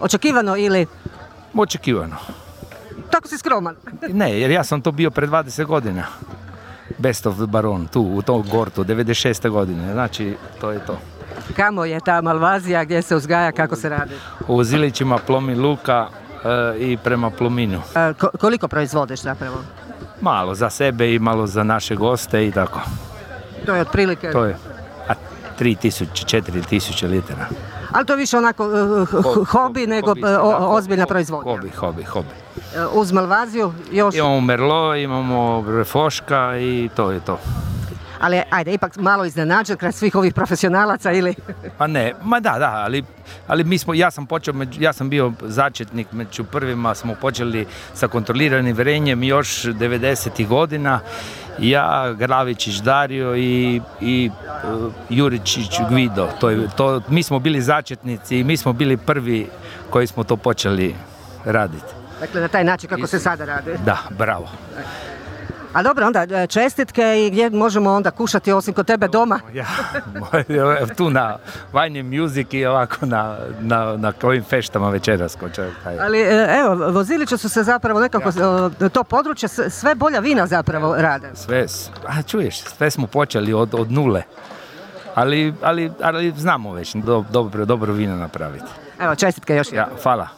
Očekivano ili? Očekivano. Tako si skroman. Ne, jer ja sam to bio pred 20 godina. Best of the Baron, tu, u tom Gortu, 96. godine. Znači, to je to. Kamo je ta Malvazija, gdje se uzgaja, kako se radi? U Zilićima, Plomin Luka i prema Plominu. Koliko proizvodiš zapravo? Malo za sebe i malo za naše goste i tako. To je otprilike? To je 3000, 4000 litara. Ali to je više onako hobi nego ozbiljna proizvodnja. Hobi. Uz Malvaziju još? Imamo Merlot, imamo Refoška i to je to. Ali ajde, ipak malo iznenađen kraj svih ovih profesionalaca ili? Pa ne, ali ja sam bio začetnik, među prvima smo počeli sa kontroliranim varenjem još 90. godina. Ja, Gravičić Dario i Juričić Gvido. Mi smo bili začetnici i mi smo bili prvi koji smo to počeli raditi. Dakle, na taj način kako se sada radi. Da, bravo. A dobro, onda čestitke i gdje možemo onda kušati osim kod tebe doma? Ja, tu na Wine and Music i ovako na ovim feštama večeras. Ali evo, Vozilići su se zapravo nekako, to područje, sve bolja vina zapravo rade. Sve smo počeli od nule. Ali znamo već dobro vino napraviti. Evo, čestitke još. Ja, hvala.